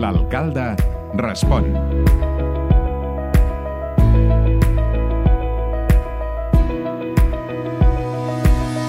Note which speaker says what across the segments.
Speaker 1: L'alcalde respon.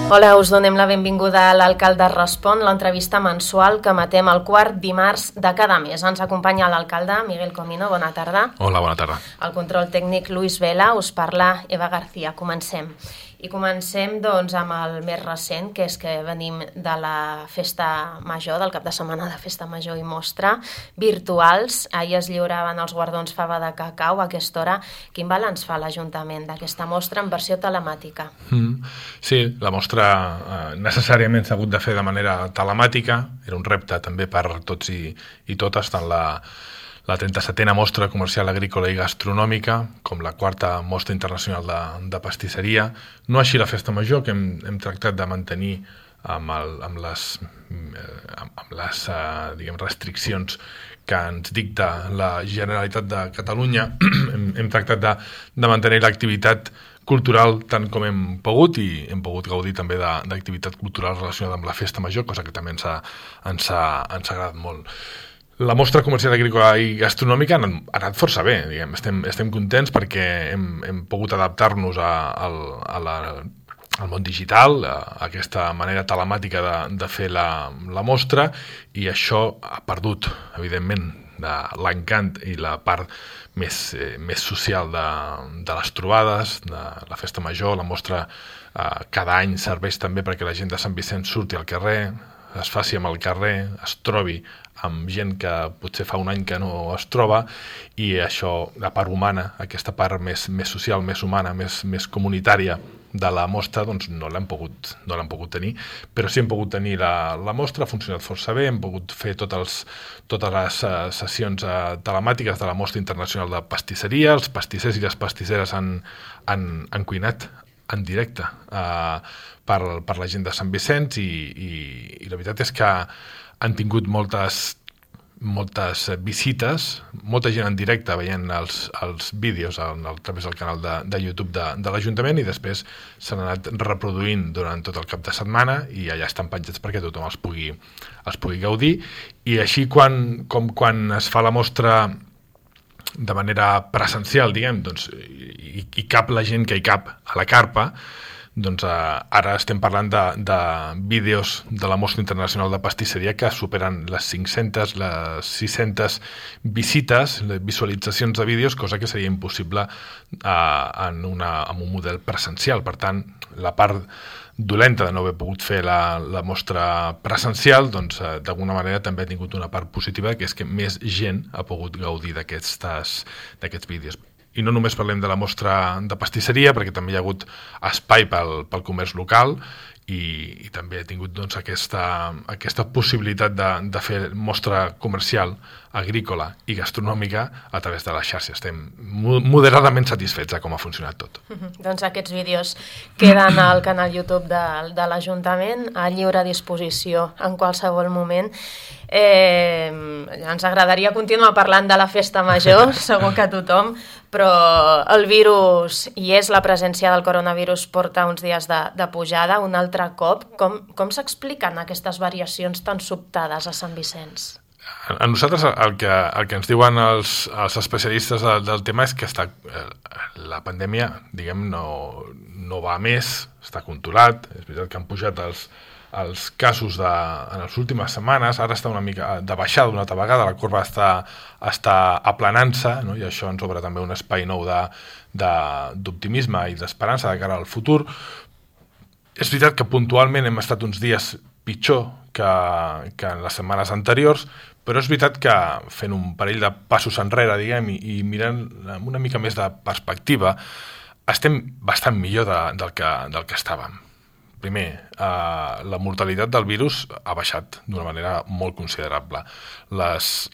Speaker 2: Hola, us donem la benvinguda a l'Alcalde Respon, l'entrevista mensual que emetem el quart dimarts de cada mes. Ens acompanya l'alcalde Miguel Comino, bona tarda.
Speaker 3: Hola, bona tarda.
Speaker 2: El control tècnic Luis Vela, us parla Eva García. Comencem. I comencem doncs, amb el més recent, que és que venim de la festa major, del cap de setmana de festa major i mostra, virtuals. Ahir es lliuraven els guardons Fava de Cacau a aquesta hora. Quin balanç fa l'Ajuntament d'aquesta mostra en versió telemàtica?
Speaker 3: Sí, la mostra necessàriament s'ha hagut de fer de manera telemàtica. Era un repte també per tots i totes, tant la 37a Mostra Comercial Agrícola i Gastronòmica, com la 4a Mostra Internacional de Pastisseria. No així la Festa Major, que hem tractat de mantenir amb les restriccions que ens dicta la Generalitat de Catalunya. Hem tractat de mantenir l'activitat cultural tant com hem pogut, i hem pogut gaudir també d'activitat cultural relacionada amb la Festa Major, cosa que també ens ha agradat molt. La Mostra Comercial Agrícola i Gastronòmica ha anat força bé, diguem. Estem contents perquè hem pogut adaptar-nos al món digital, a aquesta manera telemàtica de fer la mostra, i això ha perdut, evidentment, de l'encant i la part més social de les trobades, de la Festa Major. La mostra cada any serveix també perquè la gent de Sant Vicenç surti al carrer, es faci amb el carrer, es trobi amb gent que potser fa un any que no es troba, i això, la part humana, aquesta part més social, més humana, més comunitària de la mostra, doncs no l'hem pogut tenir, però sí hem pogut tenir la mostra. Ha funcionat força bé, hem pogut fer totes les sessions telemàtiques de la Mostra Internacional de Pastisseria. Els pastissers i les pastisseres han cuinat en directe per la gent de Sant Vicenç, i la veritat és que han tingut moltes visites, molta gent en directe veient els vídeos a través del canal de YouTube de l'Ajuntament, i després s'han anat reproduint durant tot el cap de setmana, i allà estan penjats perquè tothom els pugui gaudir. I així quan es fa la mostra de manera presencial, diguem, doncs, i cap la gent que hi cap a la carpa, doncs ara estem parlant de vídeos de la Mostra Internacional de Pastisseria que superen les 500, les 600 visites, les visualitzacions de vídeos, cosa que seria impossible amb un model presencial. Per tant, la part dolenta de no haver pogut fer la mostra presencial, doncs d'alguna manera també ha tingut una part positiva, que és que més gent ha pogut gaudir d'aquests vídeos. I no només parlem de la mostra de pastisseria, perquè també hi ha hagut espai pel comerç local, i també ha tingut doncs, aquesta possibilitat de fer mostra comercial, agrícola i gastronòmica a través de la xarxa. Estem moderadament satisfets de com ha funcionat tot.
Speaker 2: Doncs aquests vídeos queden al canal YouTube de l'Ajuntament a lliure disposició en qualsevol moment. Ens agradaria continuar parlant de la Festa Major, segur que tothom, però el virus hi és, la presència del coronavirus porta uns dies de pujada un altre cop. Com s'expliquen aquestes variacions tan sobtades a Sant Vicenç?
Speaker 3: A nosaltres el que ens diuen els especialistes del tema és que la pandèmia, diguem, no va a més, està controlat. És veritat que han pujat els casos en les últimes setmanes, ara està una mica de baixada una altra vegada, la corba està aplanant-se, no? I això ens obre també un espai nou d'optimisme i d'esperança de cara al futur. És veritat que puntualment hem estat uns dies pitjor que en les setmanes anteriors, però és veritat que fent un parell de passos enrere, diguem, i mirant amb una mica més de perspectiva, estem bastant millor del que estàvem. Primer, la mortalitat del virus ha baixat d'una manera molt considerable. Les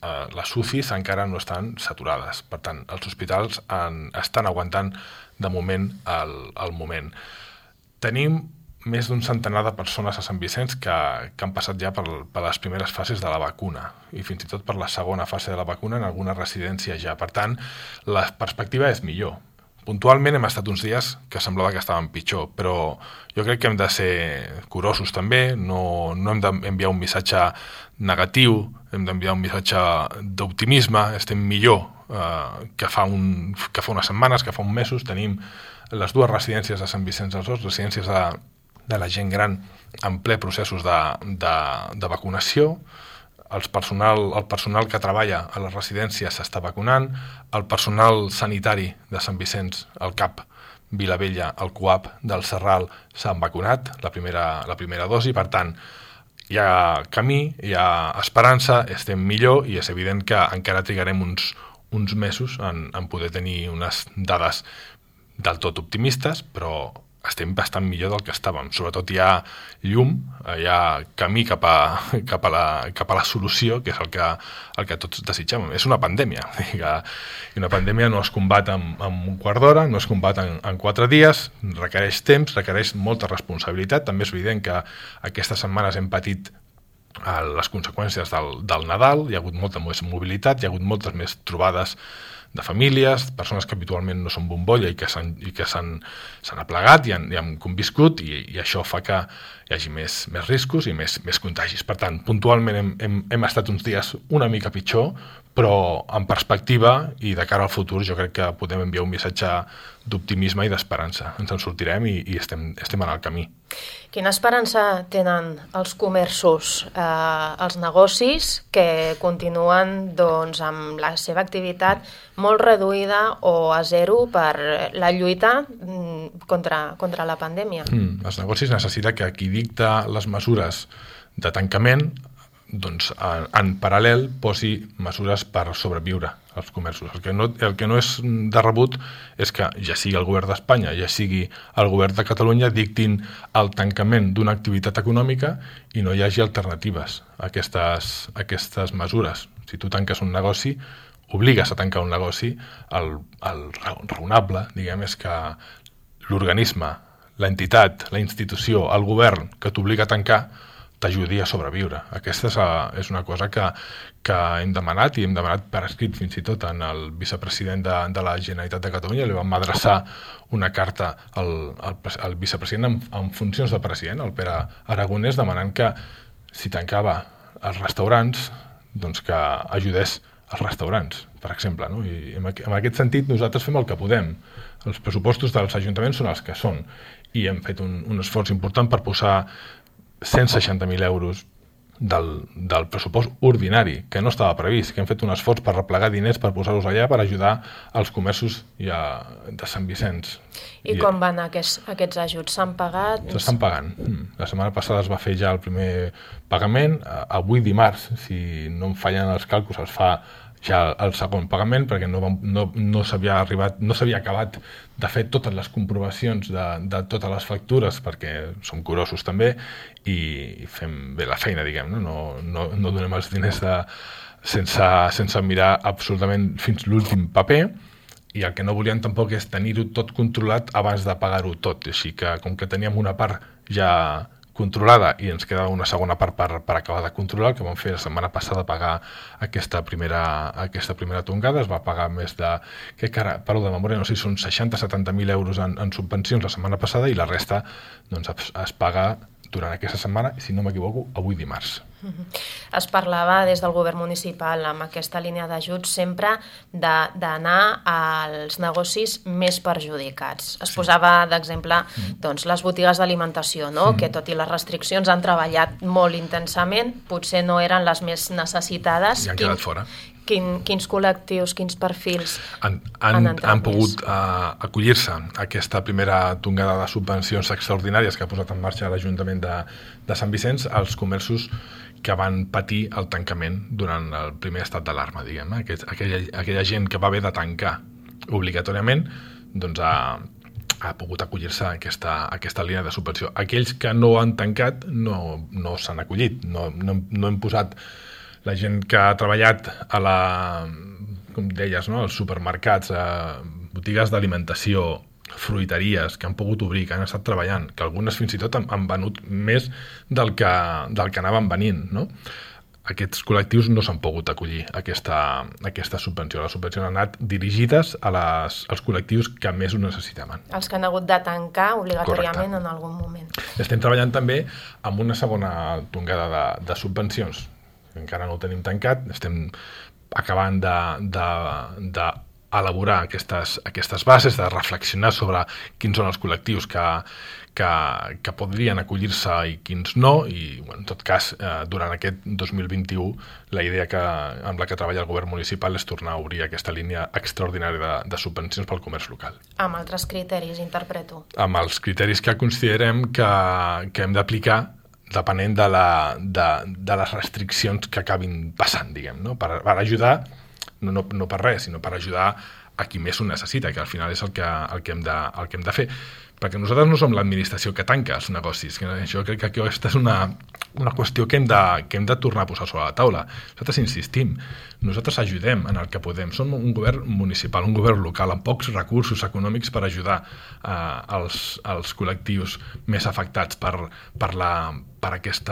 Speaker 3: UCIs encara no estan saturades, per tant, els hospitals estan aguantant de moment el moment. Tenim més d'un centenar de persones a Sant Vicenç que han passat ja per les primeres fases de la vacuna, i fins i tot per la segona fase de la vacuna en alguna residència ja. Per tant, la perspectiva és millor puntualment hem estat uns dies que semblava que estàvem pitjor, però jo crec que hem de ser curosos també, no hem d'enviar un missatge negatiu, hem d'enviar un missatge d'optimisme, estem millor que fa unes setmanes, que fa uns mesos. Tenim les dues residències de Sant Vicenç dels Horts, residències de la gent gran en ple processos de vacunació. El personal que treballa a les residències s'està vacunant, el personal sanitari de Sant Vicenç, el CAP Vilavella, el CUAP del Serral s'han vacunat, la primera dosi. Per tant, hi ha camí, hi ha esperança, estem millor i és evident que encara trigarem uns mesos en poder tenir unes dades del tot optimistes, però estem bastant millor del que estàvem. Sobretot hi ha llum, hi ha camí cap a la solució, que és el que tots desitgem. És una pandèmia. I una pandèmia no es combat en un quart d'hora, no es combat en 4 dies, requereix temps, requereix molta responsabilitat. També és evident que aquestes setmanes hem patit les conseqüències del Nadal, hi ha hagut molta més mobilitat, hi ha hagut moltes més trobades de famílies, persones que habitualment no són bombolla i que s'han aplegat i han conviscut, i això fa que hi hagi més riscos i més contagis. Per tant, puntualment hem estat uns dies una mica pitjor, però en perspectiva i de cara al futur jo crec que podem enviar un missatge d'optimisme i d'esperança. Ens en sortirem i estem en el camí.
Speaker 2: Quina esperança tenen els comerços, els negocis que continuen amb la seva activitat molt reduïda o a zero per la lluita contra la pandèmia?
Speaker 3: Els negocis necessiten que qui dicta les mesures de tancament en paral·lel posi mesures per sobreviure als comerços. El que no és de rebut és que ja sigui el govern d'Espanya, ja sigui el govern de Catalunya dictin el tancament d'una activitat econòmica i no hi hagi alternatives a aquestes mesures. Si tu tanques un negoci, obligues a tancar un negoci, el raonable, diguem, és que l'organisme, l'entitat, la institució, el govern que t'obliga a tancar t'ajudi a sobreviure. Aquesta és una cosa que hem demanat, i hem demanat per escrit fins i tot en el vicepresident de la Generalitat de Catalunya. Li vam adreçar una carta al vicepresident en funcions de president, el Pere Aragonès, demanant que si tancava els restaurants, doncs que ajudés els restaurants, per exemple. No? I en aquest sentit nosaltres fem el que podem. Els pressupostos dels ajuntaments són els que són, i hem fet un esforç important per posar 160.000 euros del pressupost ordinari, que no estava previst, que hem fet un esforç per replegar diners per posar-los allà per ajudar els comerços de Sant Vicenç.
Speaker 2: I com van aquests ajuts? S'han pagat?
Speaker 3: S'estan pagant. La setmana passada es va fer ja el primer pagament. Avui dimarts, si no em fallen els càlculs, es fa ja el segon pagament, perquè no s'havia acabat de fer totes les comprovacions de totes les factures, perquè som curosos també i fem bé la feina, diguem, no donem els diners sense mirar absolutament fins l'últim paper, i el que no volíem tampoc és tenir-ho tot controlat abans de pagar-ho tot, així que com que teníem una part ja controlada i ens queda una segona part per acabar de controlar, el que vam fer la setmana passada pagar aquesta primera tongada. Es va pagar més de, parlo de memòria, no sé si són 60-70.000 euros en subvencions la setmana passada, i la resta es paga durant aquesta setmana, si no m'equivoco, avui dimarts.
Speaker 2: Es parlava des del govern municipal amb aquesta línia d'ajuts sempre d'anar als negocis més perjudicats. Es posava d'exemple les botigues d'alimentació, que tot i les restriccions han treballat molt intensament, potser no eren les més necessitades.
Speaker 3: I han quedat fora.
Speaker 2: Quins col·lectius, quins perfils
Speaker 3: han pogut acollir-se a aquesta primera tongada de subvencions extraordinàries que ha posat en marxa l'Ajuntament de Sant Vicenç? Els comerços que van patir el tancament durant el primer estat d'alarma, diguem. Aquella gent que va haver de tancar obligatòriament ha pogut acollir-se a aquesta línia de subvenció. Aquells que no han tancat no s'han acollit. No hem posat la gent que ha treballat com deies, als supermercats, a botigues d'alimentació, fruiteries, que han pogut obrir, que han estat treballant, que algunes fins i tot han venut més del que anaven venint, no? aquests col·lectius no s'han pogut acollir a aquesta subvenció. Les subvencions han anat dirigides als col·lectius que més ho necessitaven.
Speaker 2: Els que han hagut de tancar obligatòriament en algun moment.
Speaker 3: Estem treballant també amb una segona tongada de subvencions. Encara no ho tenim tancat, estem acabant d'elaborar aquestes bases, de reflexionar sobre quins són els col·lectius que podrien acollir-se i quins no, i en tot cas, durant aquest 2021, la idea amb la que treballa el govern municipal és tornar a obrir aquesta línia extraordinària de subvencions pel comerç local.
Speaker 2: Amb altres criteris, interpreto.
Speaker 3: Amb els criteris que considerem que hem d'aplicar depenent de les restriccions que acabin passant, diguem, no? Per ajudar, no per res, sinó per ajudar a qui més ho necessita, que al final és el que hem de fer. Perquè nosaltres no som l'administració que tanca els negocis. Jo crec que aquesta és una qüestió que hem de tornar a posar sobre la taula. Nosaltres insistim, nosaltres ajudem en el que podem. Som un govern municipal, un govern local, amb pocs recursos econòmics per ajudar els col·lectius més afectats per aquest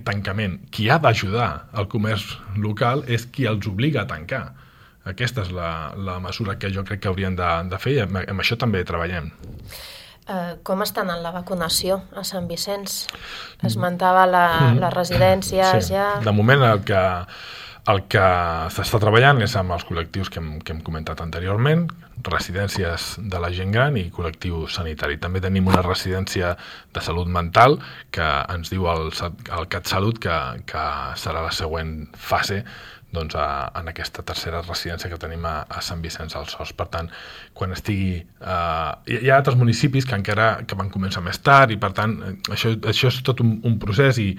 Speaker 3: tancament. Qui ha d'ajudar el comerç local és qui els obliga a tancar. Aquesta és la mesura que jo crec que haurien de fer, i amb això també treballem.
Speaker 2: Com estan en la vacunació a Sant Vicenç? Esmentava les residències ja...
Speaker 3: De moment el que s'està treballant és amb els col·lectius que hem comentat anteriorment, residències de la gent gran i col·lectiu sanitari. També tenim una residència de salut mental que ens diu el CatSalut que serà la següent fase en aquesta tercera residència que tenim a Sant Vicenç dels Horts. Per tant, quan estigui... Hi ha altres municipis que van començar més tard i, per tant, això és tot un procés i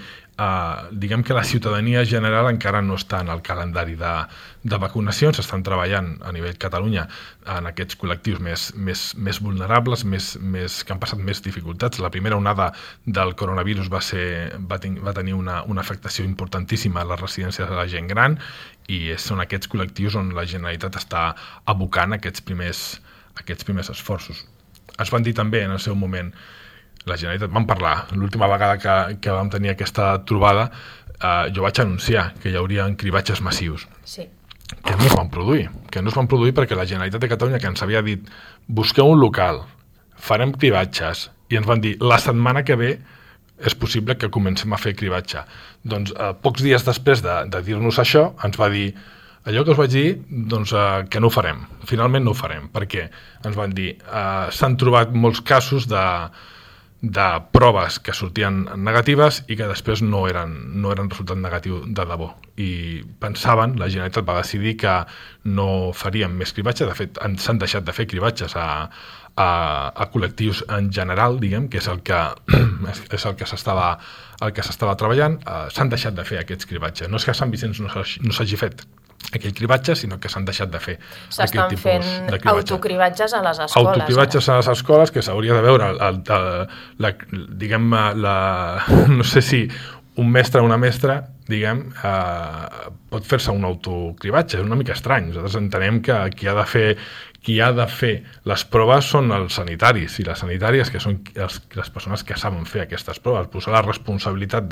Speaker 3: diguem que la ciutadania general encara no està en el calendari de vacunacions. Estan treballant a nivell Catalunya en aquests col·lectius més vulnerables, que han passat més dificultats. La primera onada del coronavirus va tenir una afectació importantíssima a les residències de la gent gran i són aquests col·lectius on la Generalitat està abocant aquests primers esforços. Es van dir també en el seu moment, la Generalitat, vam parlar, l'última vegada que vam tenir aquesta trobada, jo vaig anunciar que hi haurien cribatges massius.
Speaker 2: Sí.
Speaker 3: Que no es van produir perquè la Generalitat de Catalunya, que ens havia dit busqueu un local, farem cribatges, i ens van dir la setmana que ve és possible que comencem a fer cribatge. Doncs pocs dies després de dir-nos això, ens va dir allò que us vaig dir, que no ho farem. Finalment no ho farem, perquè ens van dir s'han trobat molts casos de proves que sortien negatives i que després no eren resultat negatiu de debò. I pensaven, la Generalitat va decidir que no faríem més cribatge. De fet, s'han deixat de fer cribatges a col·lectius en general, diguem, que és el que s'estava treballant. S'han deixat de fer aquests cribatges. No és que a Sant Vicenç no s'hagi fet aquell cribatge, sinó que s'han deixat de fer
Speaker 2: aquest tipus de cribatge. S'estan fent autocribatges a les escoles.
Speaker 3: Autocribatges a les escoles, que s'hauria de veure, no sé si un mestre o una mestra, diguem, pot fer-se un autocribatge. És una mica estrany. Nosaltres entenem que qui ha de fer les proves són els sanitaris i les sanitàries, que són les persones que saben fer aquestes proves. Posar la responsabilitat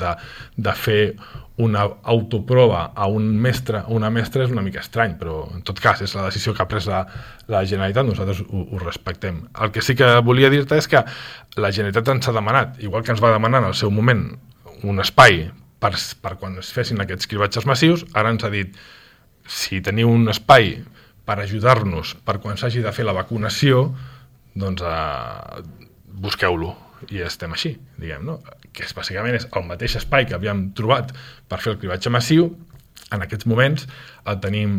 Speaker 3: de fer una autoprova a un mestre o una mestra és una mica estrany, però en tot cas és la decisió que ha pres la Generalitat, nosaltres ho respectem. El que sí que volia dir-te és que la Generalitat ens ha demanat, igual que ens va demanar en el seu moment un espai per quan es fessin aquests cribatges massius, ara ens ha dit si teniu un espai per ajudar-nos per quan s'hagi de fer la vacunació, doncs busqueu-lo. I estem així, diguem, no? Que bàsicament és el mateix espai que havíem trobat per fer el cribatge massiu. En aquests moments el tenim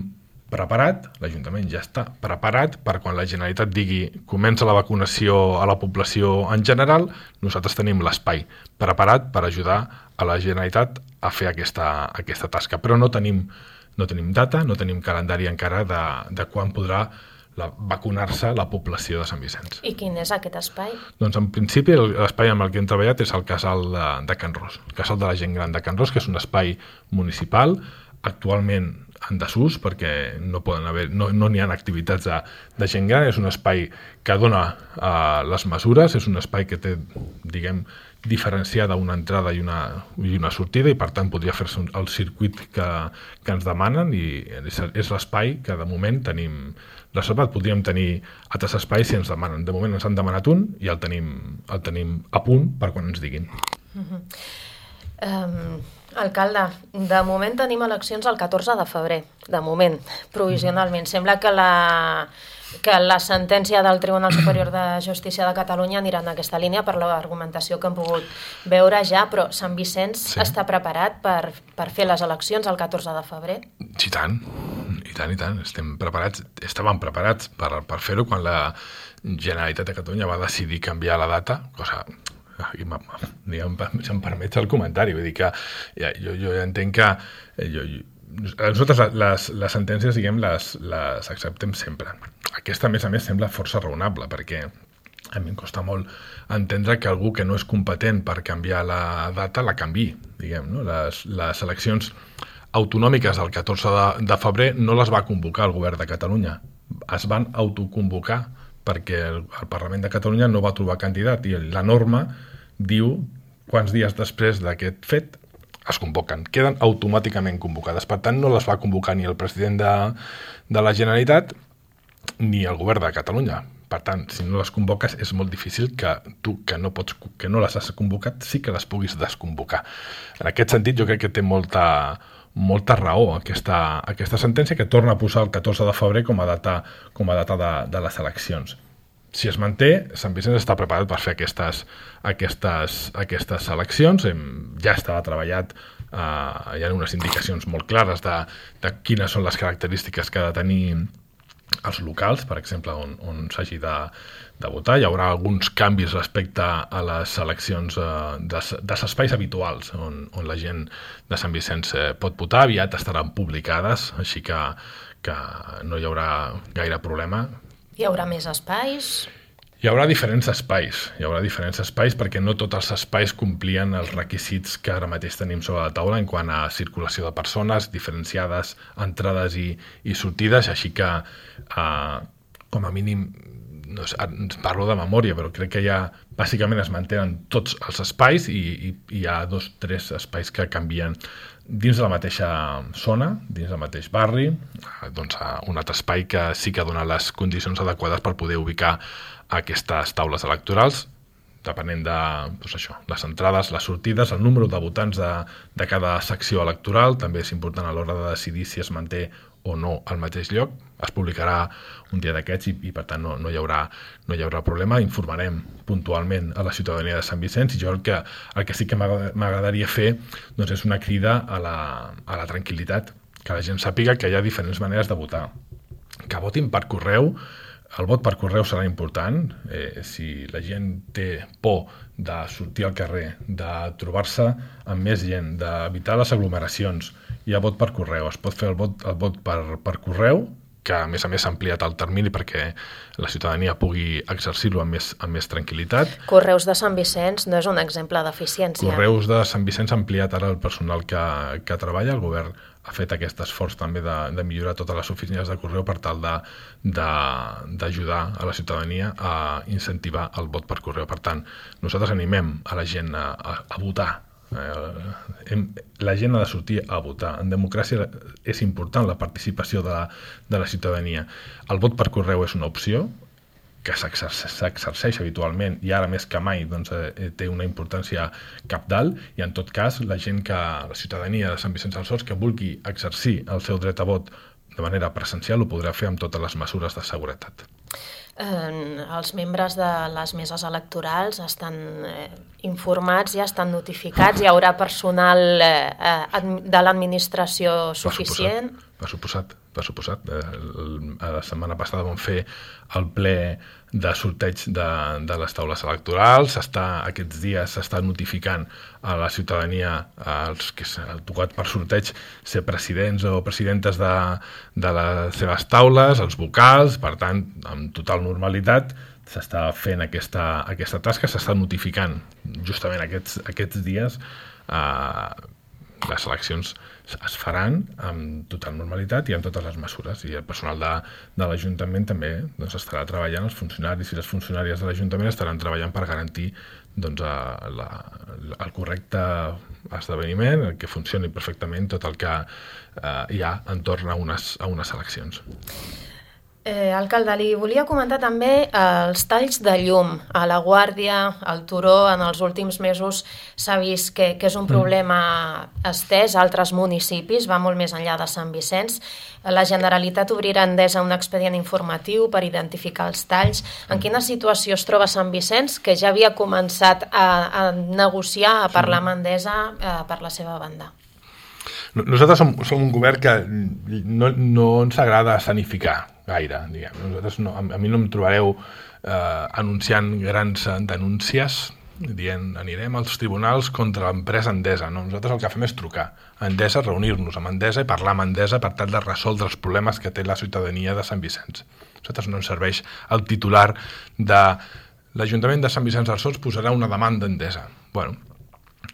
Speaker 3: preparat, l'Ajuntament ja està preparat per quan la Generalitat digui comença la vacunació a la població en general, nosaltres tenim l'espai preparat per ajudar a la Generalitat a fer aquesta tasca, però no tenim data, no tenim calendari encara de quan podrà vacunar-se la població de Sant Vicenç.
Speaker 2: I quin és aquest espai?
Speaker 3: Doncs en principi l'espai amb el que hem treballat és el casal de Can Ros, el casal de la gent gran de Can Ros, que és un espai municipal, actualment en desús perquè no n'hi ha activitats de gent gran. És un espai que dona les mesures, és un espai que té, diguem, diferenciada una entrada i una sortida, i per tant podria fer-se el circuit que ens demanen, i és l'espai que de moment tenim reservat. Podríem tenir altres espais si ens demanen. De moment ens han demanat un i el tenim a punt per quan ens diguin.
Speaker 2: Alcalde, de moment tenim eleccions el 14 de febrer, de moment, provisionalment. Sembla que la sentència del Tribunal Superior de Justícia de Catalunya anirà en aquesta línia per l'argumentació que hem pogut veure ja, però Sant Vicenç està preparat per fer les eleccions el 14 de febrer?
Speaker 3: Sí, i tant. Estàvem preparats per fer-ho quan la Generalitat de Catalunya va decidir canviar la data, cosa... si em permets el comentari, vull dir que jo entenc que nosaltres les sentències, diguem, les acceptem sempre. Aquesta, a més, sembla força raonable, perquè a mi em costa molt entendre que algú que no és competent per canviar la data la canviï, diguem, no? Les eleccions autonòmiques del 14 de febrer no les va convocar el govern de Catalunya, es van autoconvocar perquè el Parlament de Catalunya no va trobar candidat, i la norma diu quants dies després d'aquest fet es convoquen, queden automàticament convocades. Per tant, no les va convocar ni el president de la Generalitat ni el govern de Catalunya. Per tant, si no les convoques, és molt difícil que tu, que no les has convocat, sí que les puguis desconvocar. En aquest sentit, jo crec que té molta raó aquesta sentència, que torna a posar el 14 de febrer com a data de les eleccions. Si es manté, Sant Vicenç està preparat per fer aquestes eleccions. Ja estava treballat, hi ha unes indicacions molt clares de quines són les característiques que ha de tenir els locals, per exemple, on s'hagi de votar. Hi haurà alguns canvis respecte a les eleccions dels espais habituals on la gent de Sant Vicenç pot votar. Aviat estaran publicades, així que no hi haurà gaire problema.
Speaker 2: Hi haurà més espais?
Speaker 3: Hi haurà diferents espais perquè no tots els espais complien els requisits que ara mateix tenim sobre la taula en quant a circulació de persones, diferenciades entrades i sortides, així que com a mínim, no sé, parlo de memòria, però crec que bàsicament es mantenen tots els espais i hi ha 2 o 3 espais que canvien dins de la mateixa zona, dins del mateix barri, doncs un altre espai que sí que dona les condicions adequades per poder ubicar aquestes taules electorals, depenent de les entrades, les sortides, el número de votants de cada secció electoral. També és important a l'hora de decidir si es manté o no al mateix lloc. Es publicarà un dia d'aquests i per tant no hi haurà problema. Informarem puntualment a la ciutadania de Sant Vicenç, i jo el que sí que m'agradaria fer doncs és una crida a la tranquil·litat, que la gent sàpiga que hi ha diferents maneres de votar, que votin per correu. El vot per correu serà important. Si la gent té por de sortir al carrer, de trobar-se amb més gent, d'evitar les aglomeracions, hi ha vot per correu. Es pot fer el vot per correu, que a més s'ha ampliat el termini perquè la ciutadania pugui exercir-lo amb més tranquil·litat.
Speaker 2: Correus de Sant Vicenç no és un exemple d'eficiència.
Speaker 3: Correus de Sant Vicenç ha ampliat ara el personal que treballa. El govern ha fet aquest esforç també de millorar totes les oficines de correu per tal d'ajudar a la ciutadania a incentivar el vot per correu. Per tant, nosaltres animem a la gent a votar. La gent ha de sortir a votar. En democràcia és important la participació de la ciutadania. El vot per correu és una opció que s'exerceix habitualment i ara més que mai doncs, té una importància cabdal, i en tot cas la ciutadania de Sant Vicenç dels Horts que vulgui exercir el seu dret a vot de manera presencial ho podrà fer amb totes les mesures de seguretat.
Speaker 2: Els membres de les meses electorals estan informats, ja estan notificats, hi haurà personal de l'administració suficient?
Speaker 3: Per suposat. La setmana passada vam fer el ple de sorteig de les taules electorals. Aquests dies s'està notificant a la ciutadania els que s'ha tocat per sorteig ser presidents o presidentes de les seves taules, els vocals. Per tant, amb total normalitat s'està fent aquesta tasca, s'està notificant justament aquests dies les eleccions es faran amb total normalitat i amb totes les mesures, i el personal de l'Ajuntament també doncs, estarà treballant, els funcionaris i les funcionàries de l'Ajuntament estaran treballant per garantir doncs, el correcte esdeveniment, que funcioni perfectament tot el que hi ha entorn a unes eleccions.
Speaker 2: Alcalde, li volia comentar també els talls de llum a la Guàrdia, al Turó. En els últims mesos s'ha vist que és un problema estès a altres municipis, va molt més enllà de Sant Vicenç. La Generalitat obrirà a Endesa un expedient informatiu per identificar els talls. En quina situació es troba Sant Vicenç, que ja havia començat a negociar, a parlar amb Endesa per la seva banda?
Speaker 3: Nosaltres som un govern que no ens agrada escenificar gaire, diguem. Nosaltres a mi no em trobareu anunciant grans denúncies dient anirem als tribunals contra l'empresa Endesa. No, nosaltres el que fem és trucar a Endesa, reunir-nos amb Endesa i parlar amb Endesa per tal de resoldre els problemes que té la ciutadania de Sant Vicenç. A nosaltres no ens serveix el titular de l'Ajuntament de Sant Vicenç dels Horts posarà una demanda a Endesa. Bueno,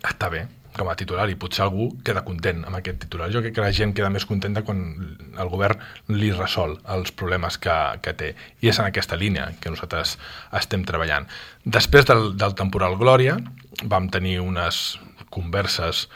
Speaker 3: està bé com a titular i potser algú queda content amb aquest titular. Jo crec que la gent queda més contenta quan el govern li resol els problemes que té. I és en aquesta línia que nosaltres estem treballant. Després del temporal Glòria vam tenir unes converses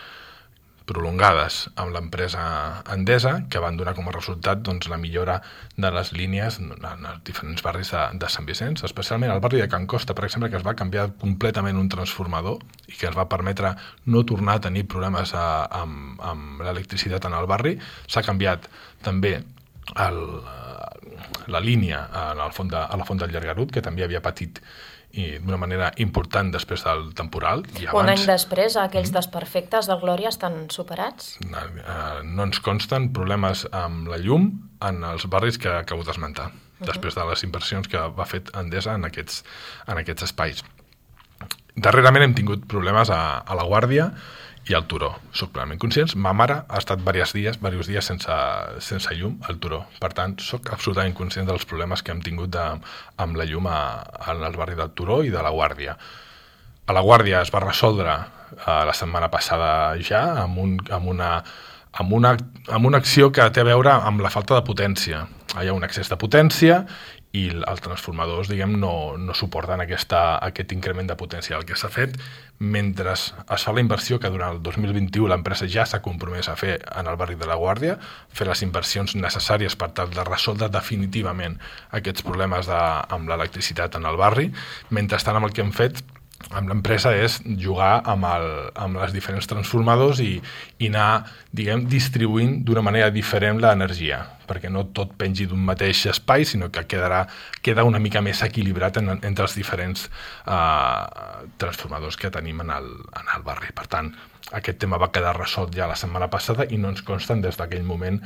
Speaker 3: prolongades amb l'empresa Endesa que van donar com a resultat doncs, la millora de les línies en els diferents barris de Sant Vicenç, especialment al barri de Can Costa, per exemple, que es va canviar completament un transformador i que ens va permetre no tornar a tenir problemes amb l'electricitat en el barri. S'ha canviat també la línia a la Font del Llargarut, que també havia patit i d'una manera important després del temporal. I abans,
Speaker 2: un any després, aquells desperfectes del Glòria estan superats?
Speaker 3: No ens consten problemes amb la llum en els barris que acabo d'esmentar, després de les inversions que va fer Endesa en aquests espais. Darrerament hem tingut problemes a la Guàrdia i al Turó. Soc plenament conscient. Ma mare ha estat diversos dies sense llum al Turó. Per tant, soc absolutament conscient dels problemes que hem tingut amb la llum al barri del Turó i de la Guàrdia. A la Guàrdia es va resoldre la setmana passada ja amb una acció que té a veure amb la falta de potència. Hi ha un excés de potència i els transformadors, diguem, no suporten aquest increment de potència. El que s'ha fet, mentre es fa la inversió que durant el 2021 l'empresa ja s'ha compromès a fer en el barri de la Guàrdia, fer les inversions necessàries per tal de resoldre definitivament aquests problemes amb l'electricitat en el barri. Mentrestant, el que hem fet amb l'empresa és jugar amb els diferents transformadors i anar, diguem, distribuint d'una manera diferent l'energia, perquè no tot pengi d'un mateix espai, sinó que queda una mica més equilibrat entre els diferents transformadors que tenim en el barri. Per tant, aquest tema va quedar resolt ja la setmana passada i no ens consten des d'aquell moment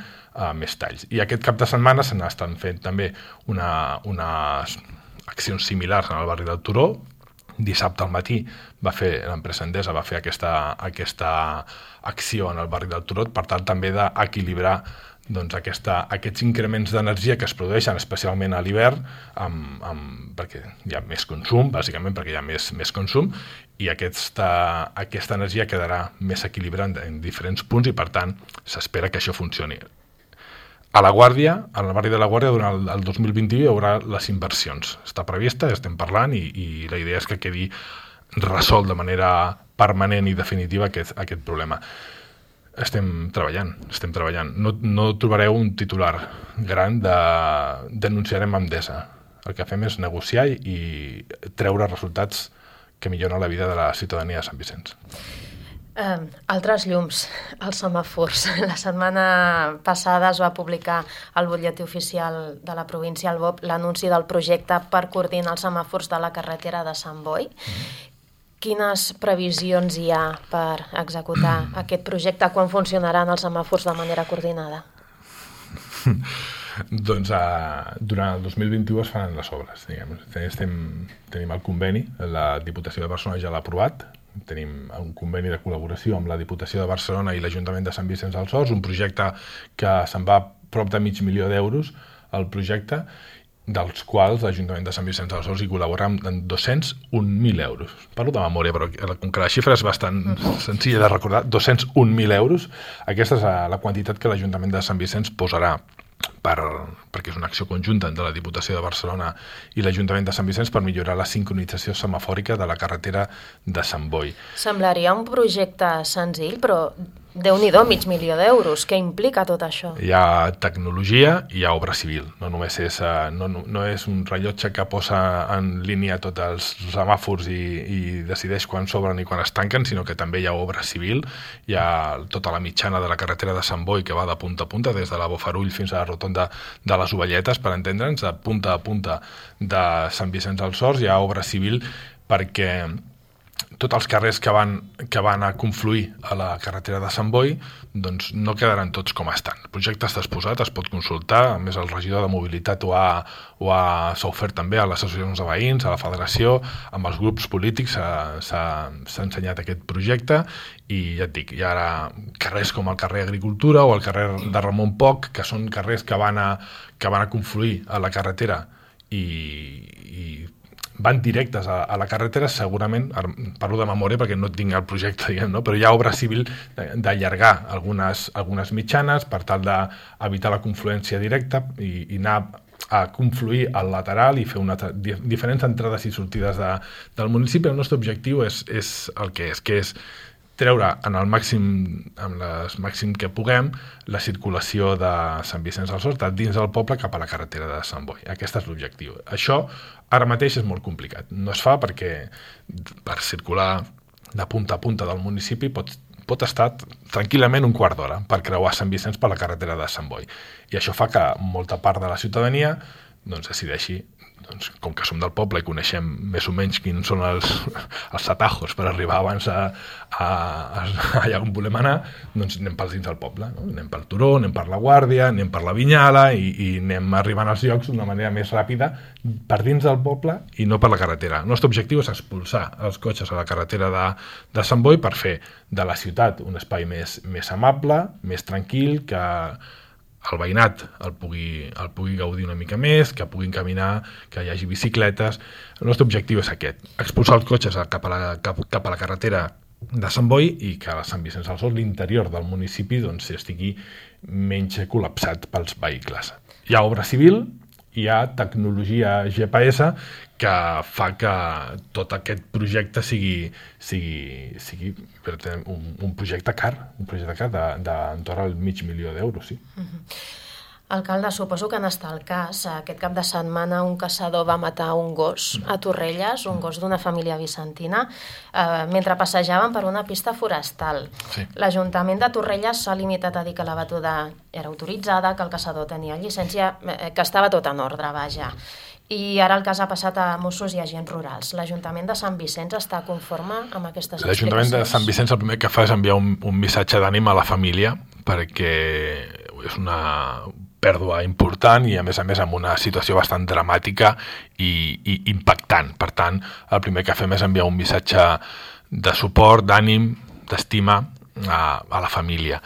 Speaker 3: més talls. I aquest cap de setmana se n'estan fent també unes accions similars en el barri del Turó. Dissabte al matí l'empresa Endesa va fer aquesta acció en el barri del Turó per tal també d'equilibrar doncs, aquests increments d'energia que es produeixen especialment a l'hivern perquè hi ha més consum, bàsicament perquè hi ha més consum, i aquesta energia quedarà més equilibrada en diferents punts i per tant s'espera que això funcioni. A la Guàrdia, al barri de la Guàrdia, durant el 2021 hi haurà les inversions. Està prevista, estem parlant i la idea és que quedi resolt de manera permanent i definitiva aquest problema. Estem treballant. No trobareu un titular gran de denunciarem Endesa. El que fem és negociar i treure resultats que milloren la vida de la ciutadania de Sant Vicenç.
Speaker 2: Altres llums, els semàfors. La setmana passada es va publicar al butlletí oficial de la província, al BOP, l'anunci del projecte per coordinar els semàfors de la carretera de Sant Boi. Quines previsions hi ha per executar aquest projecte? Quan funcionaran els semàfors de manera coordinada?
Speaker 3: Doncs durant el 2021 es faran les obres. Tenim el conveni, la Diputació de Barcelona ja l'ha aprovat, tenim un conveni de col·laboració amb la Diputació de Barcelona i l'Ajuntament de Sant Vicenç dels Horts, un projecte que se'n va prop de $500.000 al projecte dels quals l'Ajuntament de Sant Vicenç dels Horts hi col·labora amb 201.000 euros. Parlo de memòria, però com que la xifra és bastant senzilla de recordar, 201.000 euros, aquesta és la quantitat que l'Ajuntament de Sant Vicenç posarà perquè és una acció conjunta de la Diputació de Barcelona i l'Ajuntament de Sant Vicenç per millorar la sincronització semafòrica de la carretera de Sant Boi.
Speaker 2: Semblaria un projecte senzill, però Déu-n'hi-do, 500.000 d'euros. Què implica tot això?
Speaker 3: Hi ha tecnologia i hi ha obra civil. No només és, no és un rellotge que posa en línia tots els semàfors i decideix quan s'obren i quan es tanquen, sinó que també hi ha obra civil. Hi ha tota la mitjana de la carretera de Sant Boi que va de punta a punta, des de la Bofarull fins a la rotonda de les Ovelletes, per entendre'ns, de punta a punta de Sant Vicenç dels Horts. Hi ha obra civil perquè tots els carrers que van a confluir a la carretera de Sant Boi doncs no quedaran tots com estan. El projecte està exposat, es pot consultar, a més el regidor de mobilitat s'ha ofert també a les associacions de veïns, a la federació, amb els grups polítics s'ha ensenyat aquest projecte i ja et dic, hi ha ara carrers com el carrer Agricultura o el carrer de Ramon Poch, que són carrers que van a confluir a la carretera i van directes a la carretera, segurament, parlo de memòria perquè no tinc el projecte, diguem, no? Però hi ha obra civil d'allargar algunes mitjanes per tal d'evitar la confluència directa i anar a confluir al lateral i fer diferents entrades i sortides del municipi. El nostre objectiu és el que és treure amb el màxim que puguem la circulació de Sant Vicenç dels Horts dins del poble cap a la carretera de Sant Boi. Aquest és l'objectiu. Això ara mateix és molt complicat. No es fa perquè per circular de punta a punta del municipi pot estar tranquil·lament un quart d'hora per creuar Sant Vicenç per la carretera de Sant Boi. I això fa que molta part de la ciutadania decideixi, com que som del poble i coneixem més o menys quins són els atajos per arribar abans allà on volem anar, doncs anem pels dins del poble, no? Anem pel Turó, anem per la Guàrdia, anem per la Vinyala i anem arribant als llocs d'una manera més ràpida per dins del poble i no per la carretera. El nostre objectiu és expulsar els cotxes a la carretera de Sant Boi per fer de la ciutat un espai més amable, més tranquil, que el veïnat el pugui gaudir una mica més, que puguin caminar, que hi hagi bicicletes. El nostre objectiu és aquest, expulsar els cotxes cap a la carretera de Sant Boi i que a Sant Vicenç dels Horts, l'interior del municipi, estigui menys col·lapsat pels vehicles. Hi ha obra civil, hi ha tecnologia GPS que fa que tot aquest projecte sigui un projecte car, d'entorn al 500.000 d'euros, sí.
Speaker 2: Alcalde, suposo que en el cas, aquest cap de setmana un caçador va matar un gos a Torrelles, un gos d'una família vicentina, mentre passejaven per una pista forestal.
Speaker 3: Sí.
Speaker 2: L'Ajuntament de Torrelles s'ha limitat a dir que la batuda era autoritzada, que el caçador tenia llicència, que estava tot en ordre, vaja. I ara el cas ha passat a Mossos i agents rurals. L'Ajuntament de Sant Vicenç està conforme amb aquestes explicacions?
Speaker 3: L'Ajuntament de Sant Vicenç el primer que fa és enviar un missatge d'ànim a la família perquè és una pèrdua important i a més amb una situació bastant dramàtica i impactant. Per tant, el primer que fem és enviar un missatge de suport, d'ànim, d'estima a la família.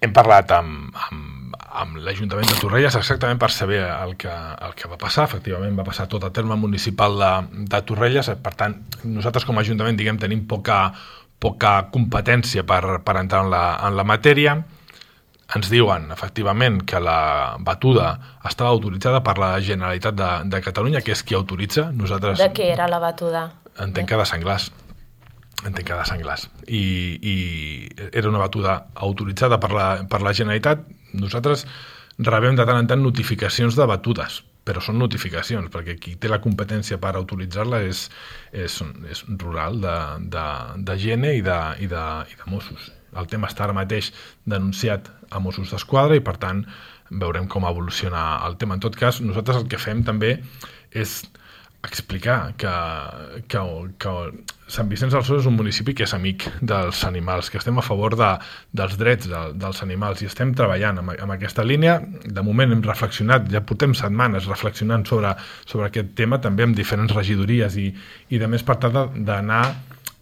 Speaker 3: Hem parlat amb l'Ajuntament de Torrelles exactament per saber el que va passar. Efectivament, va passar tot a terme municipal de Torrelles. Per tant, nosaltres com a Ajuntament tenim poca competència per entrar en la matèria. Ens diuen, efectivament, que la batuda estava autoritzada per la Generalitat de Catalunya, que és qui autoritza. Nosaltres...
Speaker 2: De què era la batuda?
Speaker 3: Entenc que de senglars. I era una batuda autoritzada per la Generalitat. Nosaltres rebem de tant en tant notificacions de batudes, però són notificacions, perquè qui té la competència per autoritzar-la és rural, de Gene i de Mossos. El tema està ara mateix denunciat a Mossos d'Esquadra i, per tant, veurem com evoluciona el tema. En tot cas, nosaltres el que fem també és explicar que Sant Vicenç dels Horts és un municipi que és amic dels animals, que estem a favor dels drets dels animals i estem treballant amb aquesta línia. De moment hem reflexionat, ja portem setmanes reflexionant sobre aquest tema, també amb diferents regidories i de més per tal d'anar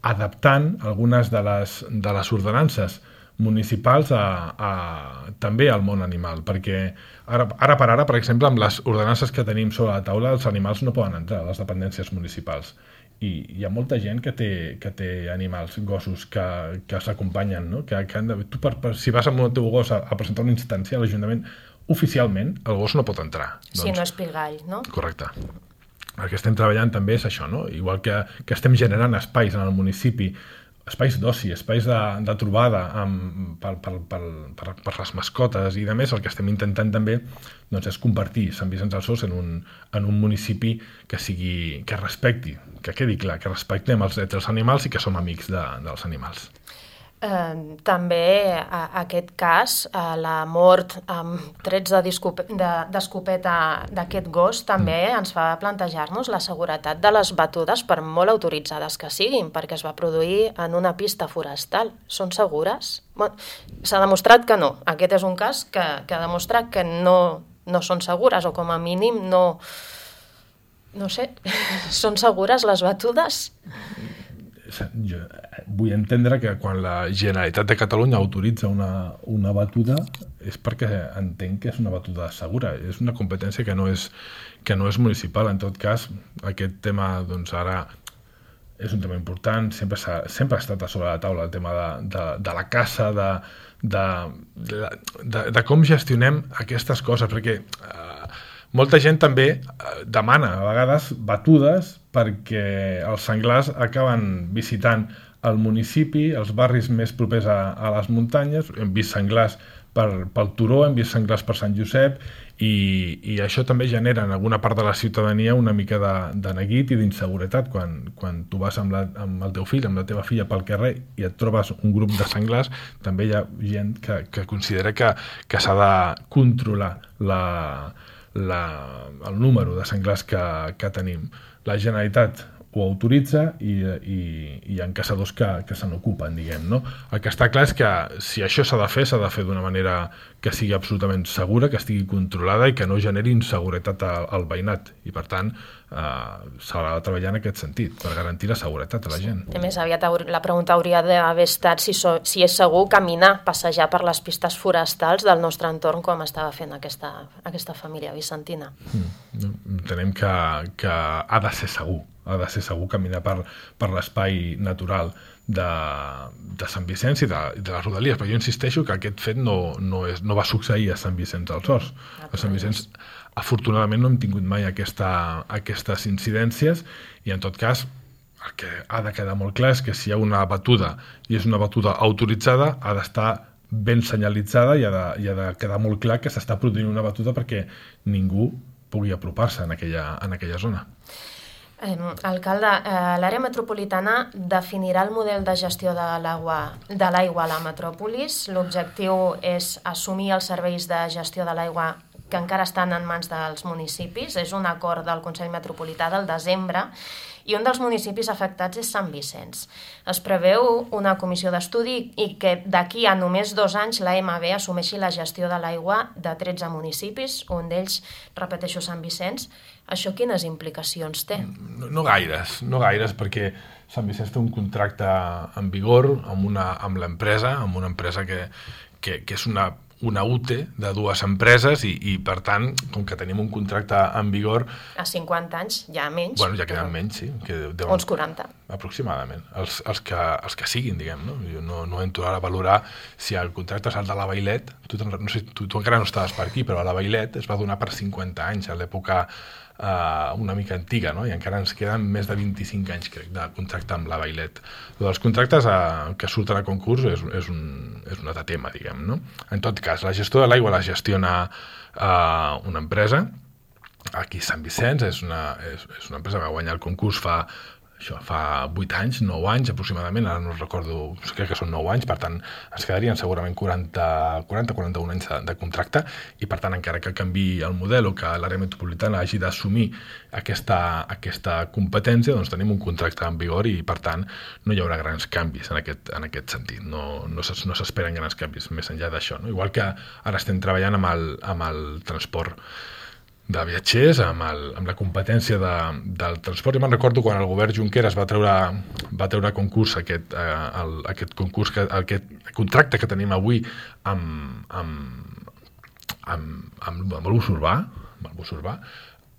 Speaker 3: adaptant algunes de les ordenances municipals també al món animal, perquè ara per ara, per exemple, amb les ordenances que tenim sobre la taula, els animals no poden entrar a les dependències municipals. I hi ha molta gent que té animals, gossos, que s'acompanyen, no? Que han de, tu si vas amb el teu gos a presentar una instància a l'Ajuntament, oficialment el gos no pot entrar.
Speaker 2: Si no és pilgall, no?
Speaker 3: Correcte. El que estem treballant també és això, no? Igual que estem generant espais en el municipi, espais d'oci, espais de trobada per les mascotes i de més, el que estem intentant també doncs, és convertir Sant Vicenç dels Horts en un municipi que respecti, que quedi clar, que respectem els drets dels animals i que som amics dels animals.
Speaker 2: També aquest cas, la mort amb trets d'escopeta d'aquest gos, també ens fa plantejar-nos la seguretat de les batudes, per molt autoritzades que siguin, perquè es va produir en una pista forestal. Són segures? S'ha demostrat que no. Aquest és un cas que ha demostrat que no són segures, o com a mínim no sé, són segures les batudes?
Speaker 3: Jo vull entendre que quan la Generalitat de Catalunya autoritza una batuda és perquè entenc que és una batuda segura. És una competència que no és municipal. En tot cas, aquest tema doncs, ara és un tema important. Sempre ha estat a sobre la taula el tema de la caça, de com gestionem aquestes coses, perquè molta gent també demana a vegades batudes perquè els senglars acaben visitant el municipi, els barris més propers a les muntanyes. Hem vist senglars pel Turó, hem vist senglars per Sant Josep i això també genera en alguna part de la ciutadania una mica de neguit i d'inseguretat. Quan tu vas amb el teu fill, amb la teva filla pel carrer i et trobes un grup de senglars, també hi ha gent que considera que s'ha de controlar el número de senglars que tenim. La Generalitat ho autoritza i hi ha caçadors que se n'ocupen, diguem, no? El que està clar és que si això s'ha de fer d'una manera que sigui absolutament segura, que estigui controlada i que no generi inseguretat al veïnat. I, per tant, s'haurà de treballar en aquest sentit, per garantir la seguretat a la gent.
Speaker 2: A més aviat la pregunta hauria d'haver estat si és segur caminar, passejar per les pistes forestals del nostre entorn, com estava fent aquesta família vicentina.
Speaker 3: Entenem que ha de ser segur caminar per l'espai natural de Sant Vicenç i de les Rodalies, però jo insisteixo que aquest fet no va succeir a Sant Vicenç dels Horts. A Sant Vicenç, afortunadament, no hem tingut mai aquestes incidències i, en tot cas, el que ha de quedar molt clar és que si hi ha una batuda i és una batuda autoritzada, ha d'estar ben senyalitzada i ha de quedar molt clar que s'està produint una batuda perquè ningú pugui apropar-se en aquella zona.
Speaker 2: Alcalde, l'àrea metropolitana definirà el model de gestió de l'aigua a la metròpolis. L'objectiu és assumir els serveis de gestió de l'aigua que encara estan en mans dels municipis. És un acord del Consell Metropolità del desembre i un dels municipis afectats és Sant Vicenç. Es preveu una comissió d'estudi i que d'aquí a només 2 anys l'AMB assumeixi la gestió de l'aigua de 13 municipis, un d'ells, repeteixo, Sant Vicenç. Això quines implicacions té?
Speaker 3: No gaires, perquè Sant Vicenç té un contracte en vigor amb l'empresa, amb una empresa que és una UTE de 2 empreses i per tant, com que tenim un contracte en vigor...
Speaker 2: A 50 anys, ja menys.
Speaker 3: Bueno, ja queden menys, sí.
Speaker 2: Uns 40.
Speaker 3: Aproximadament. Els que siguin, diguem, no? Jo no entro ara a valorar si el contracte és el de la Vailet. No sé, tu encara no estaves per aquí, però a la Vailet es va donar per 50 anys, a l'època una mica antiga, no? I encara ens queden més de 25 anys, crec, de contracte amb la Vailet. Els contractes que surten a concurs és un altre tema, diguem, no? En tot cas, la gestió de l'aigua la gestiona una empresa. Aquí Sant Vicenç és una empresa que va guanyar el concurs fa 8 anys, 9 anys aproximadament, ara no recordo, crec que són 9 anys, per tant ens quedarien segurament 40-41 anys de contracte i per tant encara que canviï el model o que l'àrea metropolitana hagi d'assumir aquesta competència, doncs tenim un contracte en vigor i per tant no hi haurà grans canvis en aquest sentit, no s'esperen grans canvis més enllà d'això, no? Igual que ara estem treballant amb el transport viatgers, amb la competència del transport. Jo me'n recordo quan el govern Junqueras va treure a concurs aquest contracte que tenim avui amb el bus urbà.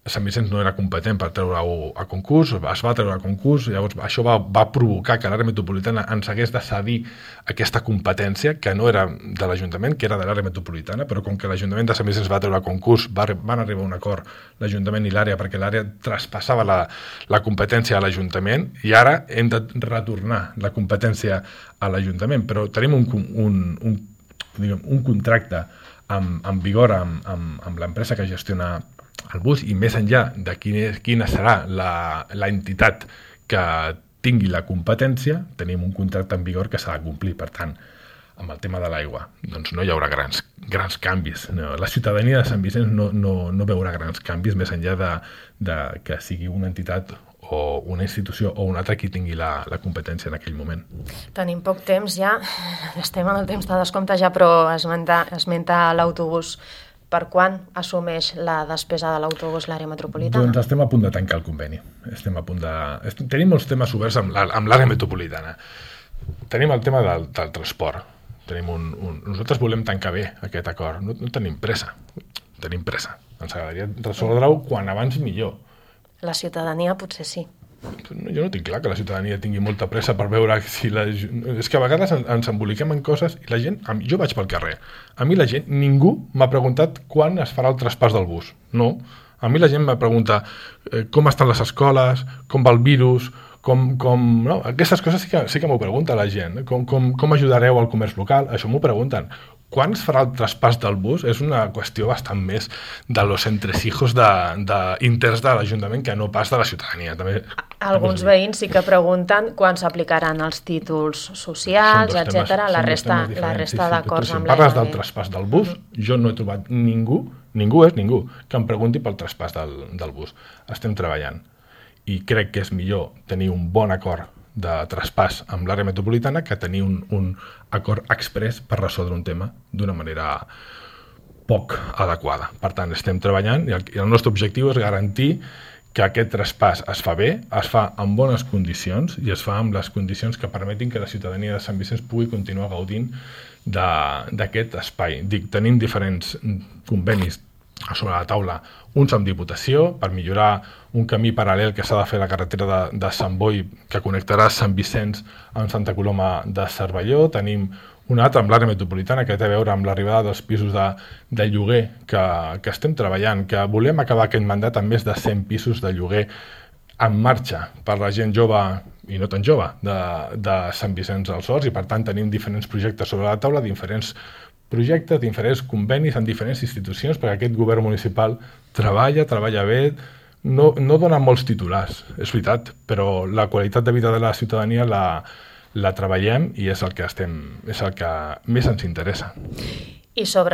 Speaker 3: Sant Vicenç no era competent per treure-ho a concurs, es va treure a concurs, llavors això va provocar que l'àrea metropolitana ens hagués de cedir aquesta competència, que no era de l'Ajuntament, que era de l'àrea metropolitana, però com que l'Ajuntament de Sant Vicenç va treure a concurs, van arribar a un acord l'Ajuntament i l'àrea, perquè l'àrea traspassava la competència a l'Ajuntament, i ara hem de retornar la competència a l'Ajuntament, però tenim un contracte en vigor amb l'empresa que gestiona el bus, i més enllà de quina serà la entitat que tingui la competència, tenim un contracte en vigor que s'ha de complir. Per tant, amb el tema de l'aigua, doncs no hi haurà grans canvis. No, la ciutadania de Sant Vicenç no veurà grans canvis, més enllà de que sigui una entitat o una institució o una altra qui tingui la competència en aquell moment.
Speaker 2: Tenim poc temps ja, estem en el temps de descompte ja, però esmenta l'autobús. Per quan assumeix la despesa de l'autobús l'àrea metropolitana?
Speaker 3: Doncs estem a punt de tancar el conveni. Tenim molts temes oberts amb l'àrea metropolitana. Tenim el tema del transport. Nosaltres volem tancar bé aquest acord. No tenim pressa. Ens agradaria resoldre-ho quan abans millor.
Speaker 2: La ciutadania potser sí.
Speaker 3: Jo no tinc clar que la ciutadania tingui molta pressa per veure si és que a vegades ens emboliquem en coses i la gent, jo vaig pel carrer, a mi la gent, ningú m'ha preguntat quan es farà el traspàs del bus, no. A mi la gent m'ha preguntat com estan les escoles, com va el virus, no? Aquestes coses sí que m'ho pregunta la gent, com ajudareu al comerç local, això m'ho pregunten. Quan es farà el traspàs del bus és una qüestió bastant més de los entresijos interns de l'Ajuntament que no pas de la ciutadania.
Speaker 2: Alguns veïns sí que pregunten quan s'aplicaran els títols socials, etc. La resta d'acords amb l'ANB.
Speaker 3: Si parles del traspàs del bus, jo no he trobat ningú que em pregunti pel traspàs del bus. Estem treballant i crec que és millor tenir un bon acord de traspàs amb l'àrea metropolitana que tenir un acord express per resoldre un tema d'una manera poc adequada. Per tant, estem treballant i el nostre objectiu és garantir que aquest traspàs es fa bé, es fa en bones condicions i es fa amb les condicions que permetin que la ciutadania de Sant Vicenç pugui continuar gaudint d'aquest espai. Tenim diferents convenis sobre la taula, uns amb Diputació per millorar un camí paral·lel que s'ha de fer a la carretera de Sant Boi que connectarà Sant Vicenç amb Santa Coloma de Cervelló. Tenim un altre amb l'àrea metropolitana que té a veure amb l'arribada dels pisos de lloguer que estem treballant, que volem acabar aquest mandat amb més de 100 pisos de lloguer en marxa per la gent jove i no tan jove de Sant Vicenç dels Horts, i per tant tenim diferents projectes sobre la taula, diferents projectes, diferents convenis en diferents institucions, perquè aquest govern municipal treballa bé, no dona molts titulars, és veritat, però la qualitat de vida de la ciutadania la treballem i és el que més ens interessa.
Speaker 2: I sobre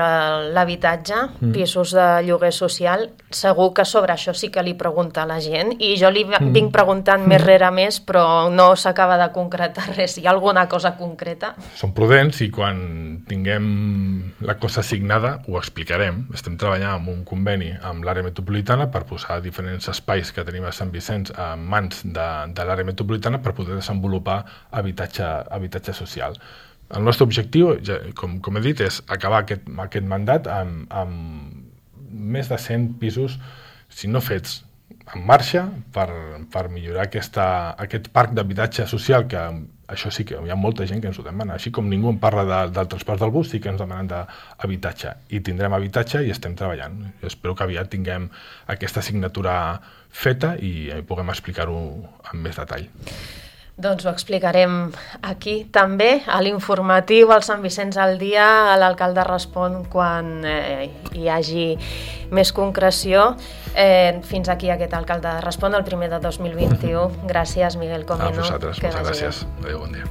Speaker 2: l'habitatge, pisos de lloguer social, segur que sobre això sí que li pregunta la gent, i jo li vinc preguntant més rere més, però no s'acaba de concretar res. Hi ha alguna cosa concreta?
Speaker 3: Som prudents i quan tinguem la cosa signada ho explicarem. Estem treballant amb un conveni amb l'àrea metropolitana per posar diferents espais que tenim a Sant Vicenç en mans de l'àrea metropolitana per poder desenvolupar habitatge social. El nostre objectiu, com he dit, és acabar aquest mandat amb més de 100 pisos, si no fets en marxa, per millorar aquest parc d'habitatge social, que això sí que hi ha molta gent que ens ho demana. Així com ningú en parla del transport del bus, sí que ens demanen d'habitatge. I tindrem habitatge i estem treballant. Espero que aviat tinguem aquesta signatura feta i puguem explicar-ho amb més detall.
Speaker 2: Doncs ho explicarem aquí també, a l'informatiu, al Sant Vicenç al dia, a l'alcalde respon quan hi hagi més concreció. Fins aquí aquest alcalde respon el primer de 2021. Gràcies, Miguel Comino.
Speaker 3: A vosaltres, moltes gràcies. Adéu, bon dia.